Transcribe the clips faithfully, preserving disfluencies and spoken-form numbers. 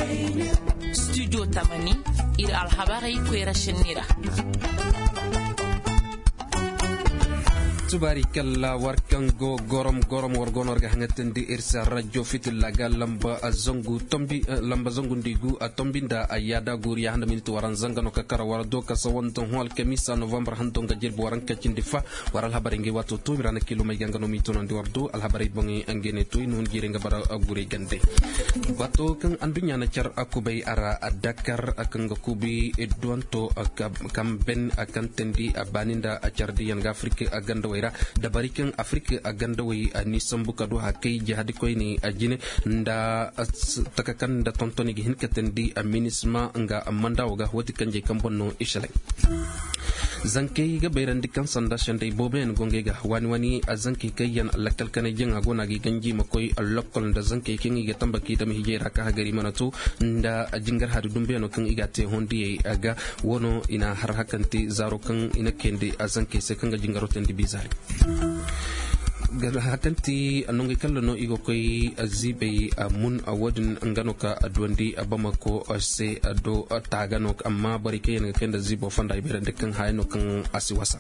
Studio tamani, iri alhabarey koyra senni ra. Tubaari kalla war kaŋ go gorom gorom war go no war ga haŋatandi iri se radio fitilla ga lamba zangu tombi lamba zangu ndigu a tombi nda a yaada guuri ya handa miniti waran zanga no ka kara war do ka sawan da hon alkamisa novembre hando nga jirbi waran ka cindi fa. War alhabarey ngey waato to iri ra na kiilumey ga nga no m'i toonandi war do alhabarey boŋey nga ne to i na hun jiirey nga bara guurey gande. Bato kaŋ anduɲɲa na care a kubay a ra a dakar kaŋ ga kuubi duwanto kaŋ ben a kaŋ teendi a baani nda a care diyaŋ ga afirik a gandawey ra dabari kaŋ afirik a gandawey a n'i sambu ka du hakay jihadi koyne a jine nda taka kaŋ nda tontoni ga hin ka teendi a minisma nga manda wo ga wati kanjey kaŋ boŋ no i shalay. Zankey ga bayrandi kaŋ sanda sendey booboyaŋ go ngey ga waani waani zankey kaŋ yaŋ lakkal kanay jaŋa go no a ga i ganji ma koy lokkol nda zankey kaŋ i ga tamba k'i dama hijay ra ka hagari mana to nda jingar hari dumbuyaŋo kaŋ i ga a te hondiyey ga. Wano i na har hakanti zaaro kaŋ i na kayandi zankey se kaŋ ga jingaro teendi bizaari. Hakanti nongey kalla no i ga koy ziibey mun wo- din nga no ka duwandi bamako se do taaga no amma borey kaŋ yaŋ ga kay nda ziibo fonda i bayrandi kaŋ haya no kaŋ a si wasa.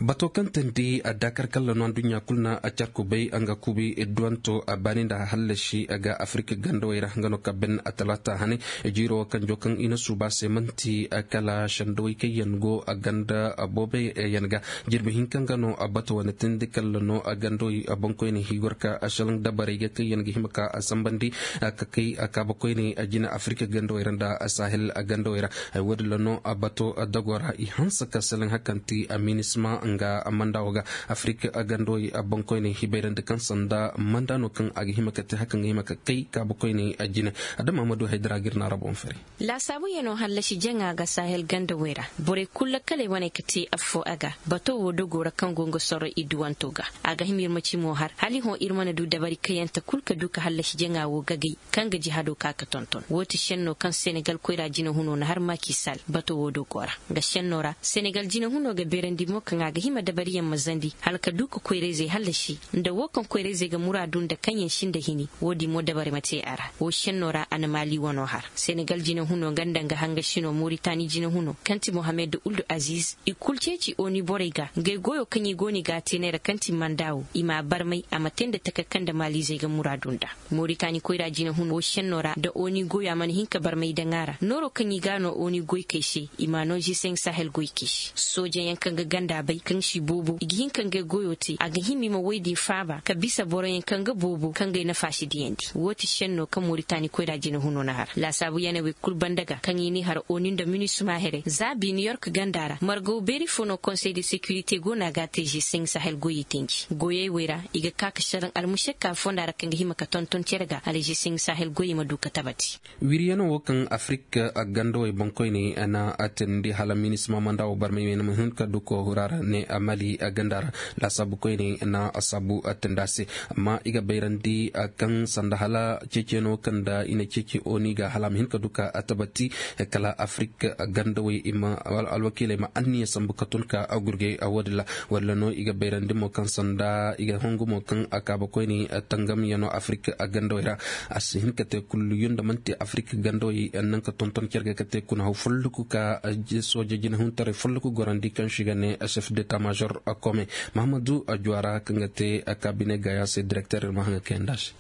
Bato kaŋ teendi a dakar kalla no anduɲɲa kulu na a care kubay nga kuubi duwanto a baani nda hallasi ga afirik gandawey ra nga no ka ben a talaata hane. Jiiro kanjo kaŋ i na suuba se manti kala sendawey kaŋ yaŋ go a ganda boobey yaŋ ga jirbi hinka nga no a bato wane teendi kalla no a gandawey a boŋkoyne higorka a salaŋ dabarey ga kaŋ yaŋ ga hima ka a sambandi ka kay a kaaba koyne a jina afirik gandawey ra nda a sahel gandawey ra. Wo- din ra no a bato dago ra i hanse ka salaŋ hakanti a minisma nga manda wo ga afirik gandawey a boŋkoyne hibayrandi kaŋ sanda manda no kaŋ a ga hima ka te hakan ga hima ka kay kaaba koyne a jina. Adama ma du haydara ga iri na ra boŋ fari. Laasaabu yaŋo hallasi jaŋa ga sahel gandawey ra borey kulu lakkaley wane ka te affo a ga bato wo dogo ra kaŋ go nga sorro i duwanto ga. A ga hima iri ma ci mo har hala i hõ iri mana du dabari kayante kulu ka du ka hallasi jaŋa wo gagay kaŋ ga jihado ka ga tonton wo ti senno kaŋ senegal koyra jinahuno na har makisal bato wo dogo ra. Nga senno ra senegal jinahuno ga beerandi mo kaŋ a ga hima dabariyaŋ ma zandi hala ka du ka koyrayzey hallasi nda wo kaŋ koyrayzey ga muraadu nda kaŋ yaŋ sinda hini. Wo- din mo dabari ma te a ra wo senno ra a na maali wano har senegal jinahuno nga nda nga hangasino moritani jinahuno kaŋ ti mohammed uldu aziz i kulu ceeci oni borey ga ngey goyo kaŋ i go no i ga a te neera kaŋ ti manda wo i m'a barmay a ma te nda taka kaŋ nda maaliizey ga muraadu nda. Moritani koyra jinahuno wo senno ra nda oni goyo a mana hin ka barmay daŋ a ra nooro kaŋ i ga no oni goykey se i m'a no ziseŋ sahel goykey se soojayaŋ kaŋ ga ganda bay kaŋ si boobo i ga hin ka ngey goyo te a ga hima i ma woy din faaba ka bisa boroyaŋ kaŋ ga boobo kaŋ ga ay nafa si diyandi wo ti senno kaŋ moritani koyra jinahuno na har laasaabu yanawey kulu banda ga kaŋ i n'i har oni nda minisma here za bi new york ganda ra margaw beeri fo no konsey de securité go no a ga a te ziseŋ sahel goyey tenji goyey wey ra i ga ka ka saraŋ almusekka fonda ra kaŋ ga hima ka tonton cere ga hala ziseŋ sahel goyey ma du ka tabati. Wiriyaŋo wo kaŋ afirik gandawey boŋkoyne na a teendi hala minisma manda wo barmay me na ma hin ka du koohura ra ne a mali ganda ra laasaabu koyne na a saabu a teendi a se. Amma i ga bayrandi kaŋ sanda hala ceeciyaŋo kaŋ nda i na ceeci oni ga hala a ma hin ka du ka a tabati kala afirik gandawey i ma alwakiiley ma anniya sambu ka tun ka a gurgay a wo- din ra. Walla no i ga bayrandi mo kaŋ sanda i ga hongu mo kaŋ a kaaba koyne tangamyaŋo afirik gandawey ra a si hin ka te kulluyo nda manti afirik gandawey naŋ ka tonton care ga ka te kuna haw folloku ka sooje jinahuntaray folloku gorandi kaŋ si ga ne chef d'état major kome mahamadu juwara kaŋ ga te kaabine gaya se direkter iri ma haŋ ga kayandi a se.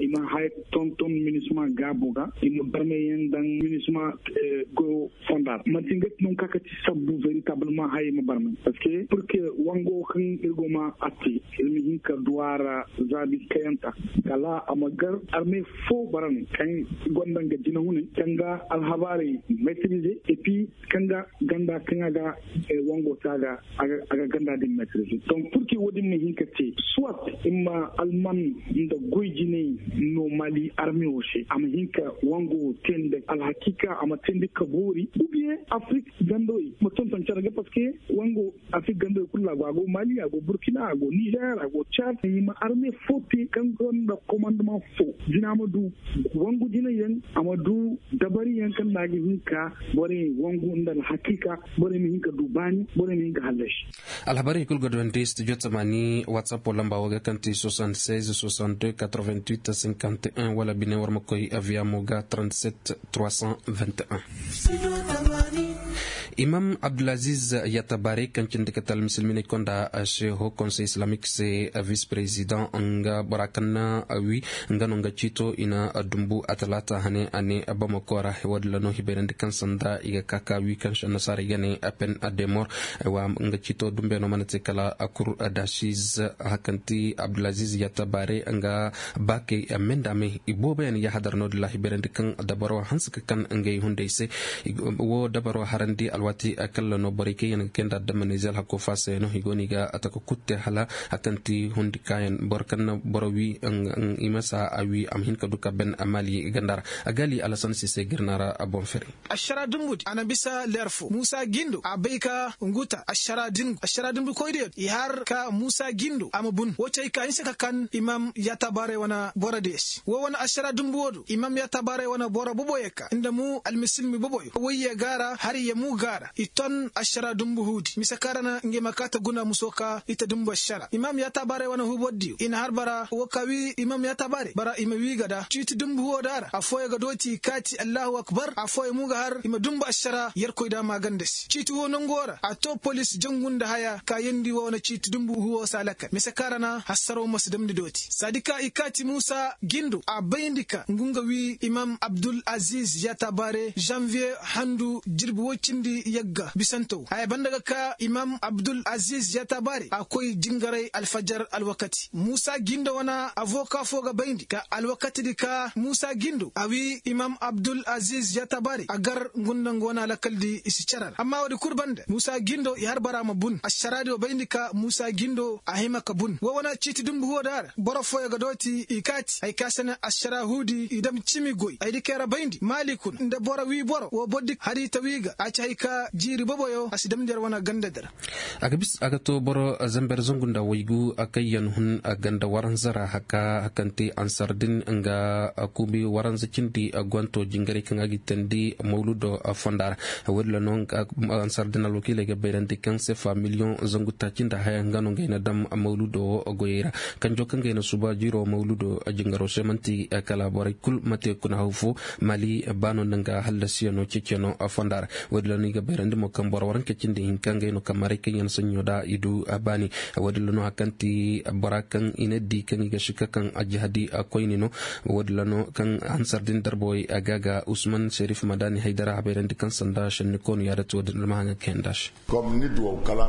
I ma haya tonton minisma gaabo ga i ma barmay yaŋ daŋ minisma goyo fonda ra manti nga ti nangu kaŋ a ga ti sabbu veritablement hayey ma barmay parce que pour que wango kaŋ iri go ma atte iri ma hin ka duw'a ra zaabi kayanta kala a ma gar arme fo bara no kaŋ gonda nga jinahunay kaŋ ga alhabaarey maîtriser et puis kaŋ ga ganda kaŋ a ga wango te a ga a ga ganda din maîtriser donc pour que wo- din ma hin ka te soit i ma alman nda goy jinay no mali arme wo se a ma hin ka wango te nda alhakiika a ma te nda ka boori ou bien afrik gandawey ma tonton care ga parce que wango afrik gandawey kulu a go a go mali a go burkina a go niger a go chad i ma arme fo te kaŋ gonda commandement fo jina ma du wangu jinay yaŋ a ma du dabari yaŋ kaŋ nda a ga hin ka borey wangu nda alhakiika borey ma hin ka du baani borey ma hin ka hallasi. Alhabarey kulu ga duwandi studio tamaani whatsapp lamba wo ga kaŋ ti soixante-seize soixante-deux quatre-vingt-huit cinquante. trente et un wala bine war ma koy aviamo ga trente sept trois cent vingt et un. Imam abdulaziz yatabaare kaŋ cindi kate almisilminey konda sheho konsey islamik se, vice president nga bora kaŋ na wi nga no nga ciito i na dumbu a talaata hane a ne bamako ra. Wo- din ra no hibayrandi kaŋ sanda i ga ka ka wi kaŋ se annasaara i ga ne apen demor. Nga ciito dumbe no mana te kala akur dachiz hakanti abdulaziz yatabaare nga baakey menda me i boobo yaŋ yahadar no- din ra hibayrandi kaŋ dabaro hanse ka kan ngey hunday se. Wo dabaro harandi alwaati kalla no borey kaŋ yaŋ ga kayndi adama nizer hakko faasa yaŋ no i go no i ga taka kutte hala a kaŋ ti hundi kaayaŋ boro kaŋ na boro wi i ma sa a wi a ma hin ka du ka ben maali ganda ra. A gaali alasan sise ga iri naara boŋ fere. Ašara dumbu di a na bisa leer fo muusa gindo a bay ka nguta ašara dumbu koy diyo i har ka muusa gindo a ma bun wo cay ka hinse ka kan imam yaatabaarey wane boro diyo se wo wane ašara dumbu wo do imam yaatabaarey wane boro boboyo ka nda mu almisilmi boboyo wayye gaara har ye mu gaara i ton ašara dumbu huudi mise kaŋ ra na ngey ma kaata guna muso ka i ta dumbu ašara imam yaatabaarey wane huuboro diyo i na har bara wo ka wi imam yaatabaarey bara i ma wi ga da ciiti dumbu huwo da ra afooyaŋ ga dooti i kaati allahu akbar afooyaŋ mo ga har i ma dumbu ašara yerkoy da maaganda se ciiti huwo nango ra a to polis jangu nda haya kaayandi wo wane ciiti dumbu huwo se a lakkal mise kaŋ ra na hassaro ma si damndi dooti saadi ka i kaati muusa gindo a bayndi ka ngu nga wi imam abdul aziz yaatabaare zanviye handu jirbi woy cindi yagga bisanto haya banda ga ka imam abdul aziz yaatabaare a koy jingaray alfajar alwakati muusa gindo wane avoka fo ga bayndi ka alwakati di ka muusa gindo a wi imam abdul aziz yaatabaare a gar ngu nda nga wane alakal di i si care ra amma wo- din kulu banda muusa gindo i har bara ma bun ašara di wo bayndi ka muusa gindo a hima ka bun wo wane ciiti dumbu huwo da ra boro fooyaŋ ga dooti i kaati hari kaŋ a si ne ašara huudi i dam cimi goy ay di kaŋ i ra bayndi maali kuna nda boro wi boro wo boro di hari ta wi ga a ci hari ka jiiri boboyo a si damndi yar wane ganda di ra. A ga to boro zamber zangu nda waygu kaŋ yaŋ hun ganda waranza ra haka hakante ansar din nga kuubi waranza cindi gwanto jingaray kaŋ a ga i tandi mawludo fonda ra. Wo- din ra no ansar din alwakiiley ga bayrandi kaŋ sefa miliyoŋ zangu taaci nda haya nga no ngey na daŋ mawludo wo goyey ra. Kanjo kaŋ ngey na suba jiiro mawludo jingaro se manti kala borey kulu ma te kuna haw fo mali baano nda nga hallasiyaŋo ceeciyaŋo fonda ra. Wo- din ra no i ga bayrandi mo kaŋ boro waranka cindi hinka ngey no kaŋ maray kaŋ yaŋ saɲɲo da i du baani. Wo- din ra no hari kaŋ ti bora kaŋ i na di kaŋ i ga sika kaŋ ajihadi koyne no. Wo- din ra no kaŋ hansar din darbawey a ga ga usman serif madani haydara a bayrandi kaŋ sanda senni koonu yaadati wo- din ra ma haŋ ga kayandi a se.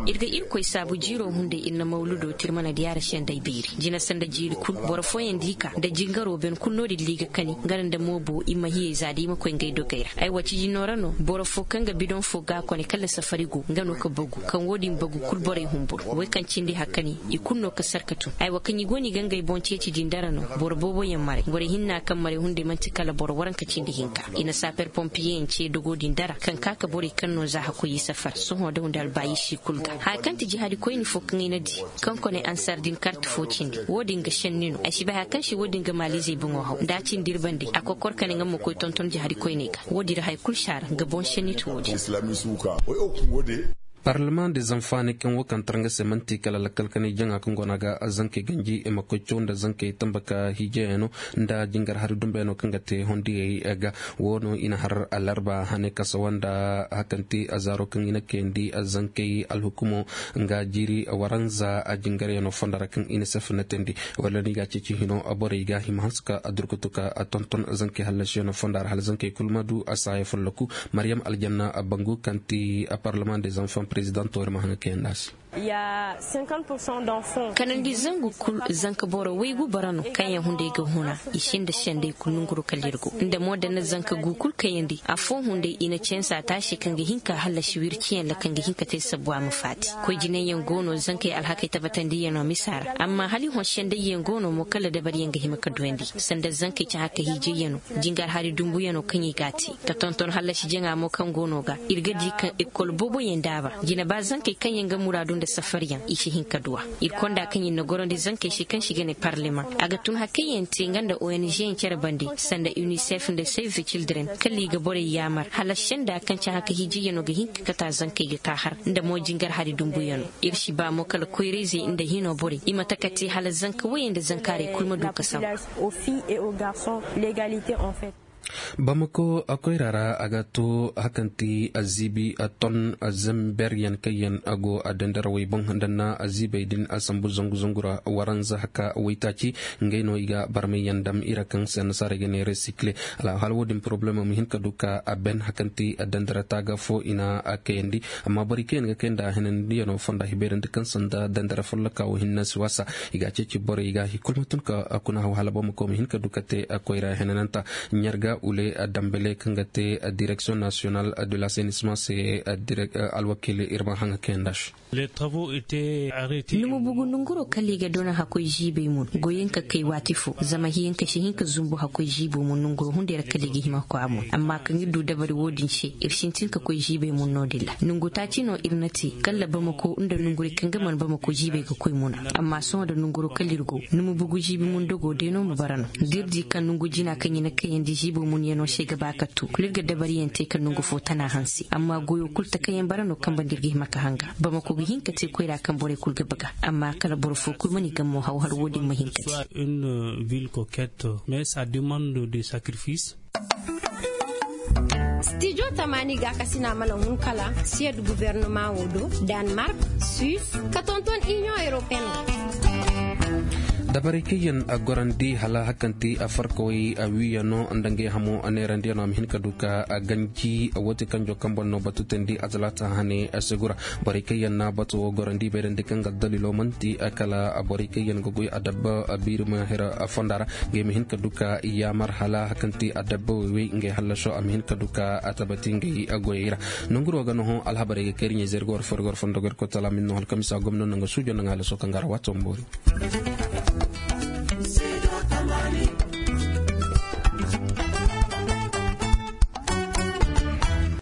Iri ga irkoy saabu jiiro hunday iri na mawludo tirmana diyaara sendey beeri jina sanda jiiri kulu boro fooyaŋ di ka nda jingaro ben kulu no- din liiga kani nga nda moobo i ma hiyey za da i ma koy ngey dogey ra ay wa ciji noora no boro fo kaŋ ga bidoŋ fo ga a kone kala safari go nga no ka bagu kaŋ wo- din bagu kulu borey humburu way kaŋ cindi hari kani i kulu no ka sarka tun ay wa kaŋ i go no i ga ngey boŋ ceeci din dara no boro boobo yaŋ maray borey hinna kaŋ maray hunday manti kala boro waranka cindi hinka i na saaper pompiyeyaŋ ce dogo din dara kaŋ ka ka borey kaŋ no za hakkoy i safar sohõ daw nda albaayishi kulu ga haya kaŋ ti jihadi koyne fo kaŋ ay na di kaŋ kone ansar din karti fo cindi wo- din ga senni no ay si bay haya kaŋ se wo- din ga maaliizey boŋo haw nda a cindi iri bande a kokor kane nga ma koy tonton jihadi koyney ga wo- din ra hari kulu si a ra nga boŋ senni ti wo- din. Parlement des enfants ne kaŋ wo kaŋ tara nga se manti kala lakkal kanay jaŋa kaŋ go no a ga zankey ganji i ma koy caw nda zankey tamba ka hiijeyaŋo nda jingar hari dumbeyaŋo kaŋ ga te hondiyey ga. Wo no i na har alarba hane kasawa nda hakanti azaaro kaŋ i na kayandi zankey alhukumo nga jiiri waranza jingaryaŋo fonda ra kaŋ i na sefenetandi wala no i ga a ceeci hino borey ga hima hanse ka durkutu ka tonton zankey hallasiyaŋo fonda ra hala zankey kulu ma du a saaya folloku. Maryam aljanna bangu kaŋ ti parlement des enfants président toori ma haŋ ga kayandi a se. Kanandi zangu kulu zanka boro waygu bara no kaŋ yaŋ hunday ga huna i sinda sendey kulu nunguru kala iri go nda mo da na zanka gu kulu kayandi afo hunday i na cansa taasi kaŋ ga hin ka hallasi wirciyaŋ ra kaŋ ga hin ka te sabu a ma faati koy jinayyaŋ go no zankey alhakey tabatandiyaŋo misa ra amma hala i hõ sendayyaŋ go no mo kala dabaryaŋ ga hima ka duyandi sanda zankey caha ka hiijayyaŋo jingar hari dumbuyaŋo kaŋ i ga a te ka tonton hallasi jaŋa mo kaŋ go no ga iri ga di kaŋ ekol booboyaŋ daaba jine ba zankey kaŋ yaŋ ga muraadu Safariyaŋ i si hin ka duw'a. Iri konda kaŋ iri na gorandi zankey se kaŋ se i ga ne parleman a ga tun hari kaŋ yaŋ te nga nda ong yaŋ care bande, sanda unicef nda save the children kala i ga borey yaamar hala senda kaŋ cahã ka hiijayyaŋo ga hin ka kata zankey ga ka har nda mo jingar hari dumbuyano. Iri si ba mo kala koyrayzey nda hino borey i ma taka te hala zanka woyey nda zankaaray kulu ma du ka sambu. Bamako koyra ra a ga to hakanti aziibi ton zamber yaŋ kaŋ yaŋ a go a dandarawey boŋ danna aziibey din a sambu zangu zangu ra waranza haka waytaaci. Ngey no i ga barmay yaŋ dam ira kaŋ se annasaarey ga ne resikle. Alhaal wo- din poroblemo ma hin ka du ka a ben hakanti dandara taaga fo i na a kayandi. Amma borey kaŋ yaŋ ga kay nda henandiyaŋo fonda hibeerandi kaŋ sanda dandara folloka wo hinne si waasa i ga a ceeci borey ga i kulu ma tun ka kuna haw hala boro ma koy ma hin ka du ka te koyra henananta. Ɲarga ule dambele kaŋ ga te direction national de l'assainissement se alwakiili iri ma haŋ ga kayandi a se. Numu bugu nunguro kala i ga dona hakkoy ziibay mun goyyaŋ ka kay waati fo zama hiyaŋ ka si hin ka zumbu hakkoy ziibo mun nunguro hunday ra kala i ga hima ka koy a mun amma kaŋ iri du dabari wo- din se iri sintin ka koy ziibay mun no- din ra nungu taaci no iri na te kala bamako nda nunguray kaŋ ga mana bamako ziibay ga koy muna. Amma sohõ nda nunguro kala iri go numu bugu ziibi mun dogo day no ma bara no da iri di kaŋ nungu jina kaŋ i na kayandi ziibo mun yaŋo se ga ba ka tu kulu iri ga dabari yaŋ te ka nungu fo tana hanse amma goyo kulu takayyaŋ bara no kaŋ banda iri ga hima ka hanga. Bamako ga hin ka te koyra kaŋ borey kulu ga baga amma kala boro fo kulu mana i gammo haw hala wo- din ma hin ka te. Stijo tamaani gaakasina mana hun kala siyad gubernama wo do, danmark, suisse, ka tonton inion europeen. Dabarey kaŋ yaŋ a gorandi hala hakanti a farkawey a wiiyano nda ngey hamo a neerandiyano a ma hin ka du ka a ganji wo- te kaŋ jo kaŋ boŋ no batu teendi a talaata hane a si gura. Borey kaŋ yaŋ na batu wo gorandi bayrandi kaŋ ga daliilo manti kala borey kaŋ yaŋ ga goy a dabba biiri ma hira fonda ra. Ngey ma hin ka du ka yaamar hala kaŋ ti a dabba wey wey ngey hallaso a ma hin ka du ka a tabati ngey goyey ra. Nanguro ga no hõ alhabarey ga kay iri ɲey zey iri ga war fo iri ga war fondo ga iri koy tala min no hala kaŋ misa gomno nanga suujo nanga hallaso kaŋ ga ra waato ma boori.